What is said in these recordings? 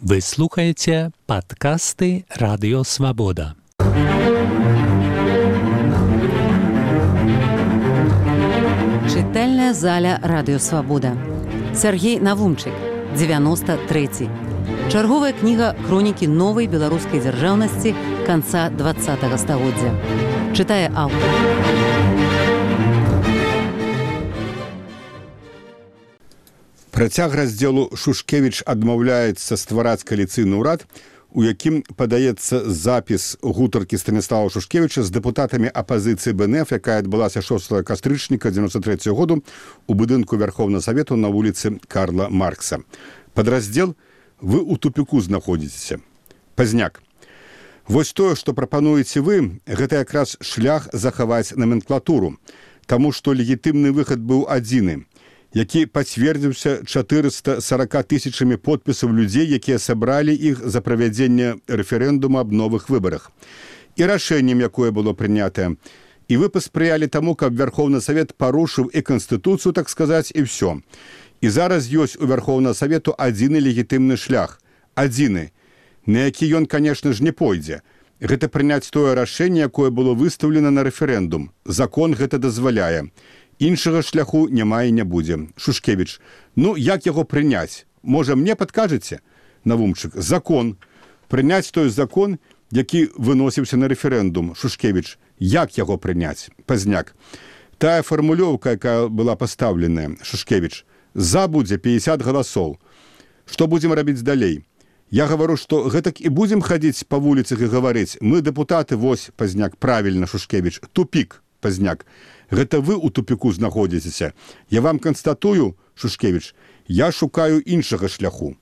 Вы слухаете подкасты «Радио Свобода». Чытальная заля «Радио Свобода». Сергей Навумчык, 93. Чарговая кніга хронікі новай беларускай дзяржаўнасці канца 20-го стагоддзя. Чытае аўтар. Працяг раздзелу Шушкевіч адмаўляецца ствараць кааліцыйны ўрад, у якім падаецца запіс гутаркі Станіслава Шушкевіча з дэпутатамі апазіцыі БНФ, якая адбылася 6 кастрычніка 93 году у будынку Верховнага Савету на вуліцы Карла Маркса. Падраздзел «Вы ў тупіку знаходзіцеся». Пазняк. Вось тое, што прапануеце вы, гэта якраз шлях захаваць номенклатуру, таму што легітымны выхад быў адзіны, які пацвердзіўся 440 тысячамі подпісаў людзей, якія сабралі іх за правядзенне рэферэндума аб новых выбарах. І рашэннем, якое было прынятае. І вы паспрыялі таму, каб Верховны Савет парушыў і Канстытуцыю, так сказаць, і ўсё. І зараз ёсць у Верховнага Савету адзіны легітымны шлях. Адзіны, на які ён, канешне ж, не пойдзе. Гэта прыняць тое рашэнне, якое было выстаўлена на рэферэндум. Закон гэта дазваляе. Іншага шляху няма і не будзе. Шушкевіч. Ну, як яго прыняць? Можа, мне падкажаце? Навумчык. Закон. Прыняць той закон, які выносіўся на рэферэндум. Шушкевіч. Як яго прыняць? Пазняк. Тая фармулёўка, якая была пастаўленая. Шушкевіч. За будзе 50 галасоў. Што будзем рабіць далей? Я гавару, што гэтак і будзем хадзіць па вуліцах і гаварыць. Мы, дэпутаты, вось, пазняк, правільна, Шушкевіч. Тупік, пазняк. Гэта вы ў тупіку знаходзіцеся. Я вам канстатую, Шушкевіч, я шукаю іншага шляху.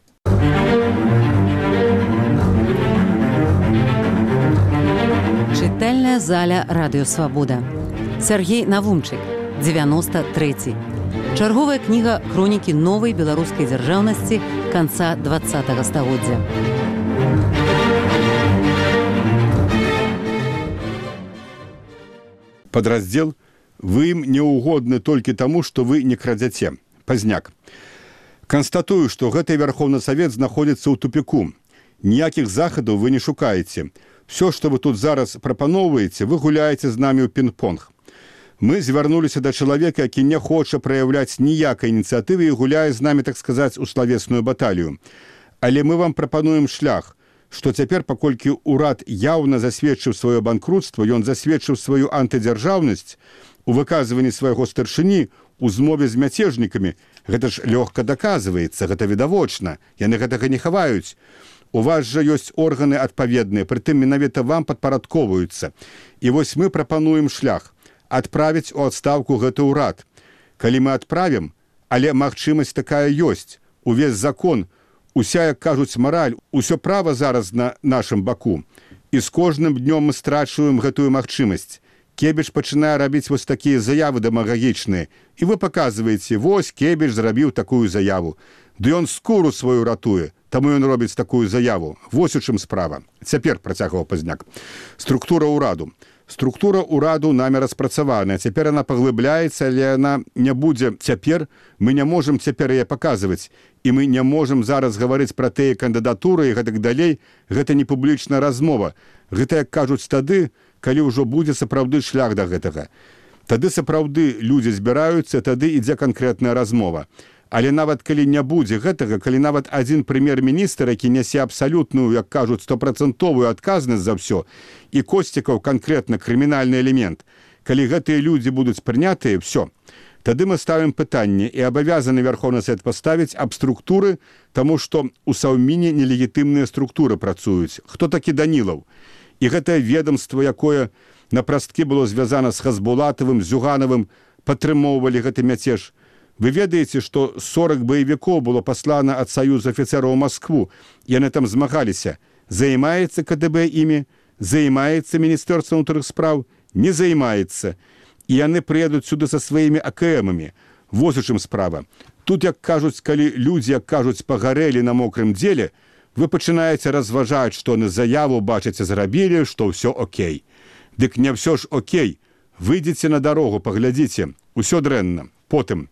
Чытальная заля «Радио Свобода». Сергей Навумчык, 93. Чарговая кніга хронікі новай беларускай дзяржаўнасці канца 20-го стагоддзя. Падраздзел «Вы ім не ўгодны толькі таму, што вы не крадзяце». Пазняк. Канстатую, што гэты Верховны Савет знаходзіцца ў тупіку. Ніякіх захадаў вы не шукаеце. Всё, што вы тут зараз прапаноўваеце, вы гуляеце з намі ў пінг-понг. Мы звярнуліся да чалавека, які не хоча праяўляць ніякай ініцыятывы і гуляе з намі, так сказаць, у славесную баталію. Але мы вам прапануем шлях, што цяпер, паколькі ўрад яўна засведчыў сваё банкрутства, ён засведчыў сваю антыдзяржаўнасць у выказванні свайго старшыні у змове з мяцежнікамі. Гэта ж лёгка даказваецца, гэта відавочна, яны гэтага не хаваюць. У вас жа ёсць органы адпаведныя, прытым менавіта вам падпарадковваюцца. І вось мы прапануем шлях адправіць у адстаўку гэты ўрад. Калі мы адправім, але магчымасць такая ёсць, увесь закон, уся, як кажуць, мараль, усё права зараз на нашым баку. І з кожным днём мы страчваем гэтую магчымасць. Кебіч пачынае рабіць вось такія заявы дэмагагічныя. І вы паказваеце, вось Кебіч зрабіў такую заяву. Ды ён скуру сваю ратуе, таму ён робіць такую заяву. Вось у чым справа. Цяпер, працягваў Пазняк. Структура ўраду. Структура ўраду намі распрацаваная. Цяпер яна паглыбляецца, але яна не будзе цяпер. Мы не можам цяпер яе паказваць. І мы не можам зараз гаварыць пра тыя кандыдатуры і гэтак далей. Гэта не публічная размова. Гэта, як кажуць, тады, калі ўжо будзе сапраўды шлях да гэтага. Тады сапраўды людзі збіраюцца, тады ідзе канкрэтная размова. Але нават калі не будзе гэтага, калі нават адзін прэм'ер-міністр, які нясе абсалютную, як кажуць, 100% адказнасць за ўсё, і Косцікаў канкрэтна крымінальны элемент, калі гэтыя людзі будуць прынятыя, ўсё. Тады мы ставім пытанне і абавязаны Верховны Савет паставіць аб структуры, таму што ў Саўміне нелегітымныя структуры працуюць. Хто такі Данілаў? І гэтае ведомство, якое на прасткі было звязана з Хазбулатавым, Зюганавым, падтрымоўвалі гэты мяцеж. Вы ведаеце, што 40 баевікоў было паслана ад Саюза афіцэраў у Маскву. Яны там змагаліся. Займаецца КДБ імі? Займаецца Міністэрства ўнутраных спраў? Не займаецца. І яны прыедуць сюды са сваімі АКМамі. Вось у чым справа. Тут, як кажуць, калі людзі, як кажуць, пагарэлі на мокрым дзеле, вы пачынаеце разважаць, што на заяву, бачыце, зрабілі, што ўсё окей. Дык не ўсё ж окей. Выйдзеце на дарогу, паглядзіце. Усё дрэнна. Потым.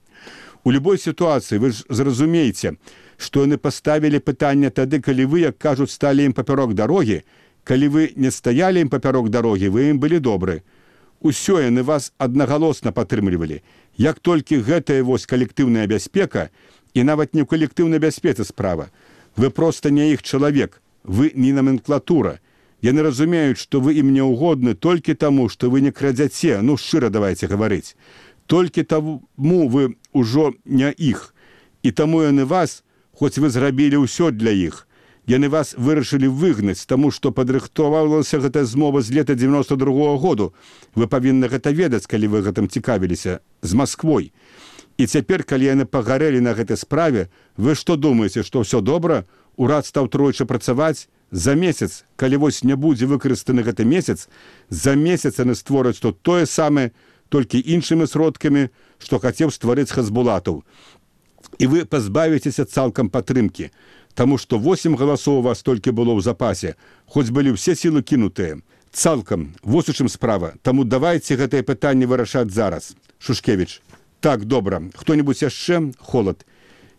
У любой сітуацыі вы ж зразумееце, што яны паставілі пытанне тады, калі вы, як кажуць, сталі ім папярок дарогі, калі вы не стаялі ім папярок дарогі, вы ім былі добры. Усё яны вас аднагалосна падтрымлівалі. Як толькі гэтая вось калектыўная бяспека, і нават не ў калектыўнай бяспецы справа, вы проста не іх чалавек, вы не номенклатура. Яны разумеюць, што вы ім не ўгодны толькі таму, што вы не крадзяце, ну шчыра давайте гаварыць. Толькі таму вы ўжо не іх. І таму яны вас, хоць вы зрабілі ўсё для іх, яны вас вырашылі выгнаць, таму што падрыхтавалася гэтая змова з лета 92-го году. Вы павінны гэта ведаць, калі вы гэтым цікавіліся, з Масквой. І цяпер, калі яны пагарэлі на гэтай справе, вы што думаеце, што ўсё добра? Урад стаў тройчы працаваць? За месяц, калі вось не будзе выкарыстаны гэты месяц, за месяц яны створаць тут тое самае, толькі іншымі сродкамі, што хацеў стварыць Хазбулатаў. І вы пазбавіцеся цалкам падтрымкі, таму што 8 галасоў у вас толькі было ў запасе, хоць былі ўсе сілы кінутыя. Цалкам, вось у чым справа, таму давайце гэтае пытанне вырашаць зараз. Шушкевіч. Так, добра. Хто-небудзь яшчэ? Холад.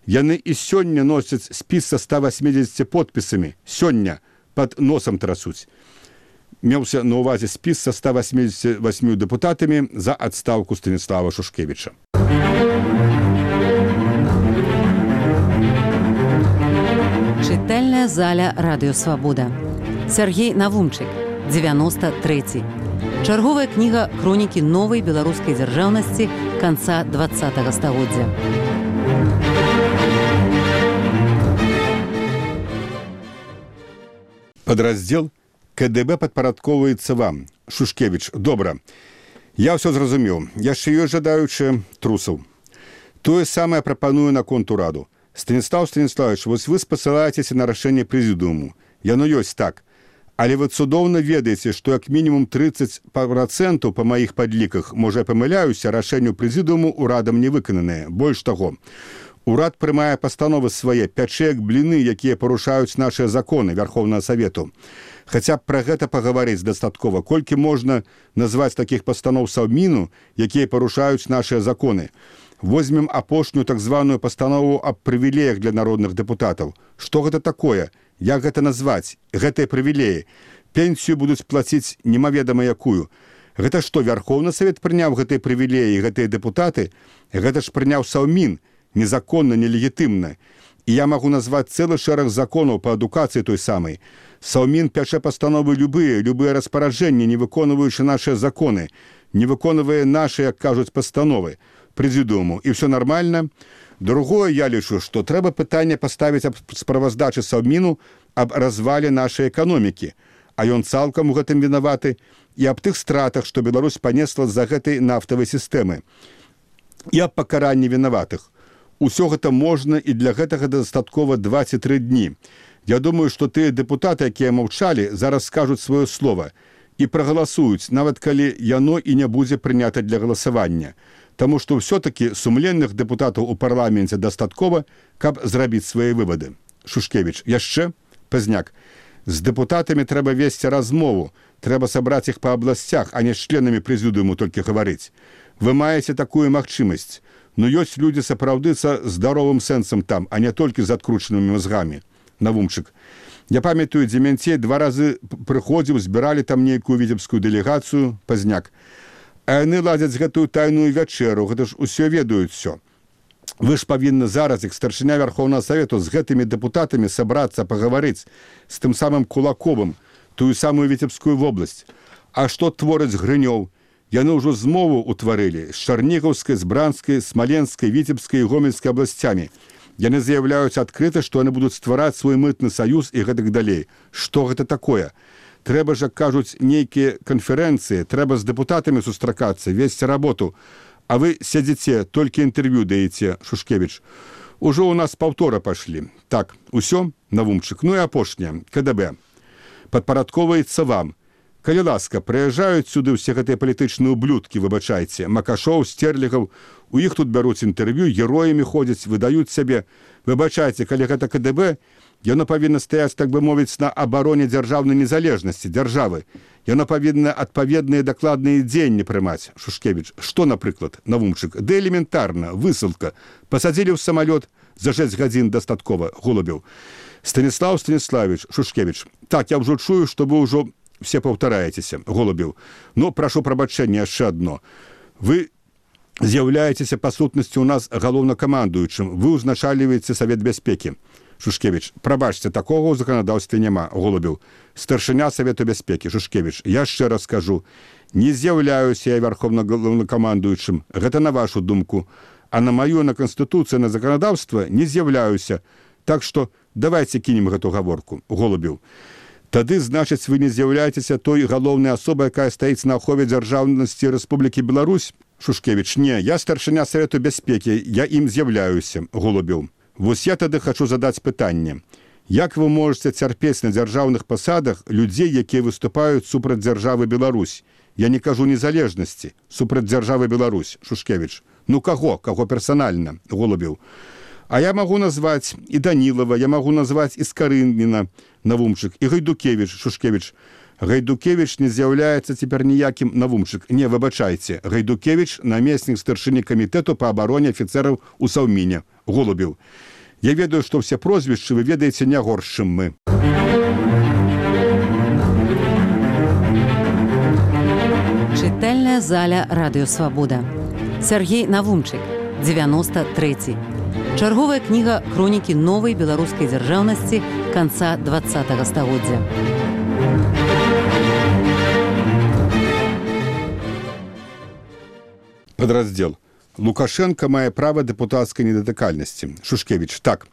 Яны і сёння носяць спіс са 180 подпісамі. Сёння пад носам трасуць. Меўся на ўвазе спіс са 188 дэпутатамі за адстаўку Станіслава Шушкевіча. Чытальная заля Радыё Свабода. Сяргей Навумчык, 93. Чарговая кніга хронікі новай беларускай дзяржаўнасці канца 20-го стагоддзя. Падраздзел КДБ падпарадковваецца вам. Шушкевіч, добра. Я ўсё зразумеў. Яшчэ ёсць жадаючыя трусаў. Тое самае прапаную наконт ураду. Станіслав Станіславович, вось вы спасылаецеся на рашэнне прэзідыуму. Яно ёсць так. Але вы цудоўна ведаеце, што як мінімум 30% па маіх падліках, можа я памыляюся, рашэнню прэзідыуму урадам не выкананае. Больш таго, урад прымае пастановы свае, пячэ як бліны, якія парушаюць нашыя законы Верховнага Савету. Хаця б пра гэта пагаварыць дастаткова, колькі можна назваць такіх пастаноў Саўміну, якія парушаюць нашыя законы. Возьмем апошнюю так званую пастанову аб прывілеях для народных дэпутатаў. Што гэта такое? Як гэта назваць? Гэтыя прывілеі. Пенсію будуць плаціць немаведама якую. Гэта што, Верховны Савет прыняў гэтыя прывілеі, гэтыя дэпутаты? Гэта ж прыняў Саўмін. Незаконна, нелегітымна. І я магу назваць цэлы шэраг законаў па адукацыі той самай. Саўмін пячэ пастановы любыя распараджэнні, не выконваючы нашыя законы, не выконвае нашы, як кажуць, пастановы прэзідыуму. І ўсё нармальна. Другое, я лічу, што трэба пытанне паставіць аб справаздачы Саўміну аб развале нашай эканомікі. А ён цалкам у гэтым вінаваты. І аб тых стратах, што Беларусь панесла з-за гэтай нафтавай сістэмы. І аб пакаранні вінаватых. Усё гэта можна, і для гэтага дастаткова 23 дні. Я думаю, што тыя дэпутаты, якія маўчалі, зараз скажуць сваё слова і прагаласуюць, нават калі яно і не будзе прынята для галасавання. Таму што ўсё-такі сумленных дэпутатаў у парламенце дастаткова, каб зрабіць свае вывады. Шушкевіч, яшчэ? Пазняк. З дэпутатамі трэба весці размову, трэба сабраць іх па абласцях, а не з членамі прэзідыуму толькі гаварыць. Вы маеце такую магчымасць. Но ёсць людзі сапраўды са здаровым сэнсам там, а не толькі з адкручанымі мазгамі. Навумчык. Я памятаю, Демянцей 2 разы прыходзіў, збіралі там нейкую віцебскую дэлегацыю, Пазняк. А яны ладзяць гэтую тайную вячэру, гэта ж усё ведаюць усё. Вы ж павінны зараз, як старшыня Верховнага Савету, з гэтымі дэпутатамі сабрацца, пагаварыць з тым самым Кулаковым, тую самую Віцебскую вобласць. А што твораць Грынёў? Яны ўжо змову ўтварылі з Чарнігаўскай, з Бранскай, Смаленскай, Віцебскай і Гомельскай абласцямі. Яны заяўляюць адкрыта, што яны будуць ствараць свой мытны саюз і гэтак далей. Што гэта такое? Трэба ж, кажуць, нейкія канферэнцыі, трэба з дэпутатамі сустракацца, весці работу. А вы сядзіце, толькі інтэрв'ю даеце, Шушкевіч. Ужо ў нас паўтора пашлі. Так, усё, Навумчык. Ну і апошняе, КДБ. Падпарадковаецца вам. Калі ласка, прыязджаюць сюды ўсе гэтыя палітычныя ублюдкі, выбачайце, Макашоў, Стерлігаў, у іх тут бяруць інтэрв'ю, героямі ходзяць, выдаюць сябе. Выбачайце, калі гэта КДБ, яно павінна стаяць, так бы мовіць, на абароне дзяржаўнай незалежнасці, дзяржавы. Яно павінна адпаведныя дакладныя дзеянні прымаць, Шушкевіч. Што, напрыклад, Навумчык? Ды элементарна, высылка. Пасадзілі ў самалёт, за 6 гадзін дастаткова, Голубеў. Станіслав Станіславович, Шушкевич. Так, я ўжо чую, што вы ўжо все паўтараецеся, Голубеў. Но прашу прабачэння яшчэ адно. Вы з'яўляецеся па сутнасці ў нас галоўнакамандуючым. Вы ўзначальваеце Савет бяспекі. Шушкевич. Прабачце, такога ў заканадаўстве няма, Голубеў. Старшыня Савету бяспекі, Шушкевич. Я яшчэ раз скажу. Не з'яўляюся я галоўнакамандуючым. Гэта на вашу думку. А на маю, на Канстытуцыю, на заканадаўства не з'яўляюся. Так што давайте кінем гэту гаворку, Голубеў. Тады, значыць, вы не з'яўляецеся той галоўнай асобай, якая стаіць на ахове дзяржаўнасці Рэспублікі Беларусь? Шушкевич. Не, я старшыня Савету бяспекі, я ім з'яўляюся, Голубеў. Вось я тады хачу задаць пытанне. Як вы можаце цярпець на дзяржаўных пасадах людзей, якія выступаюць супраць дзяржавы Беларусь? Я не кажу незалежнасці, супраць дзяржавы Беларусь, Шушкевич. Ну каго? Каго персанальна, Голубеў? А я магу назваць і Данілава, я магу назваць і Скарыніна, Навумчык, і Гайдукевіч, Шушкевич. Гайдукевіч не з'яўляецца цяпер ніякім Навумчык. Не, выбачайце, Гайдукевіч намеснік старшыні камітэту па абароне афіцэраў у Саўміне, Голубеў. Я ведаю, што ўсе прозвішчы вы ведаеце не горш, чым мы. Чытальная заля Радыё Свабода. Сергей Навумчык, 93. Чарговая кніга хронікі новай беларускай дзяржаўнасці канца 20 стагоддзя. Падраздзел. Лукашенко мае права дэпутацкай недатыкальнасці. Шушкевич. Так.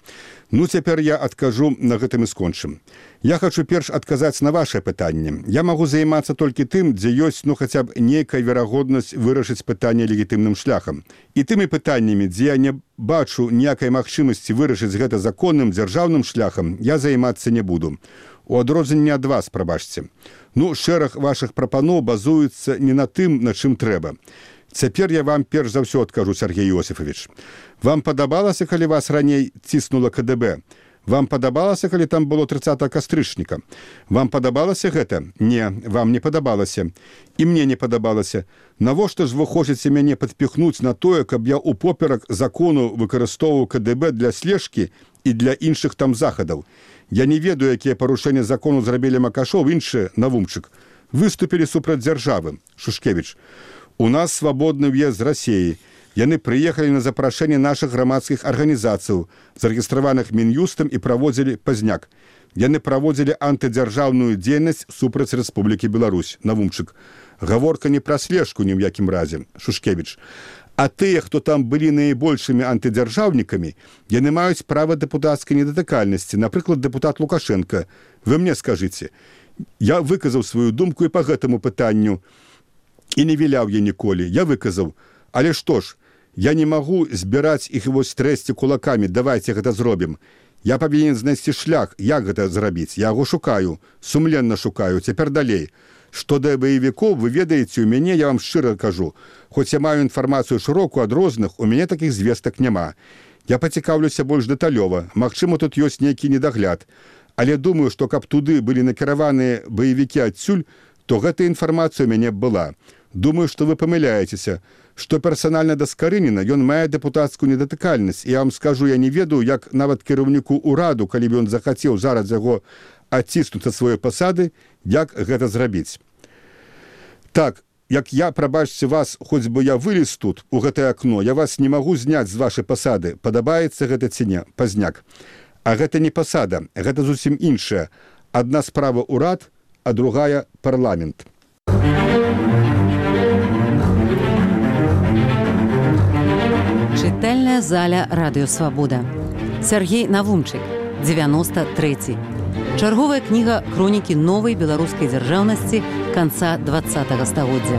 Ну, цяпер я адкажу, на гэтым і скончым. Я хачу перш адказаць на вашае пытанне. Я магу займацца толькі тым, дзе ёсць, ну, хаця б нейкая верагоднасць вырашыць пытанне легітымным шляхам. І тымі пытаннямі, дзе я не бачу ніякай магчымасці вырашыць гэта законным дзяржаўным шляхам, я займацца не буду. У адрозненне ад вас, прабачце. Ну, шэраг вашых прапаноў базуецца не на тым, на чым трэба. Цяпер я вам перш за ўсё адкажу, Сергей Иосифович. Вам падабалася, калі вас раней ціснула КДБ? Вам падабалася, калі там было 30 кастрычніка? Вам падабалася гэта? Не, вам не падабалася. І мне не падабалася. Навошта ж вы хочаце мяне падпіхнуць на тое, каб я упоперак закону выкарыстоўваў КДБ для слежкі і для іншых там захадаў? Я не ведаю, якія парушэнні закону зрабілі Макашоў, іншыя, Навумчык. Выступілі супраць дзяржавы, Шушкевич. У нас свабодны ўезд з Расіі. Яны прыехалі на запрашэнне нашых грамадскіх арганізацыяў, зарэгістраваных Мін'юстам і праводзілі пазняк. Яны праводзілі антыдзяржаўную дзейнасць супраць Рэспублікі Беларусь, Навумчык. Гаворка не пра слежку ні ў якім разе, Шушкевич. А тыя, хто там былі найбольшымі антыдзяржаўнікамі, яны маюць права дэпутацкай недатыкальнасці, напрыклад, дэпутат Лукашенко. Вы мне скажыце. Я выказаў сваю думку і па гэтаму пытанню. І не віляў я ніколі. Я выказаў. Але што ж, я не магу збіраць іх вось трэсці кулакамі. Давайте гэта зробім. Я павінен знайсці шлях, як гэта зрабіць. Я яго шукаю, сумленна шукаю. Цяпер далей. Што да баевікоў, вы ведаеце, у мяне, я вам шчыра кажу, хоць я маю інфармацыю шырокую ад розных, у мяне такіх звестак няма. Я пацікаўлюся больш дэталёва. Магчыма, тут ёсць нейкі недагляд. Але думаю, што каб туды былі накіраваныя баевікі адсюль, то гэта інфармацыя у мяне была. Думаю, што вы памыляецеся, што персанальна да Скарыніна ён мае дэпутацкую недатыкальнасць. І я вам скажу, я не ведаю, як нават кіраўніку ўраду, калі б ён захацеў зараз яго адціснуць ад сваёй пасады, як гэта зрабіць. Так, як я, прабачце вас, хоць бы я вылез тут, у гэтае акно, я вас не магу зняць з вашай пасады. Падабаецца гэта ці не? Пазняк. А гэта не пасада, гэта зусім іншая. Адна справа ўрад, а другая парламент. Чытальная заля Радыё Свабода. Сергей Навумчык, 93. Чарговая кніга хронікі новай беларускай дзяржаўнасці канца 20 стагоддзя.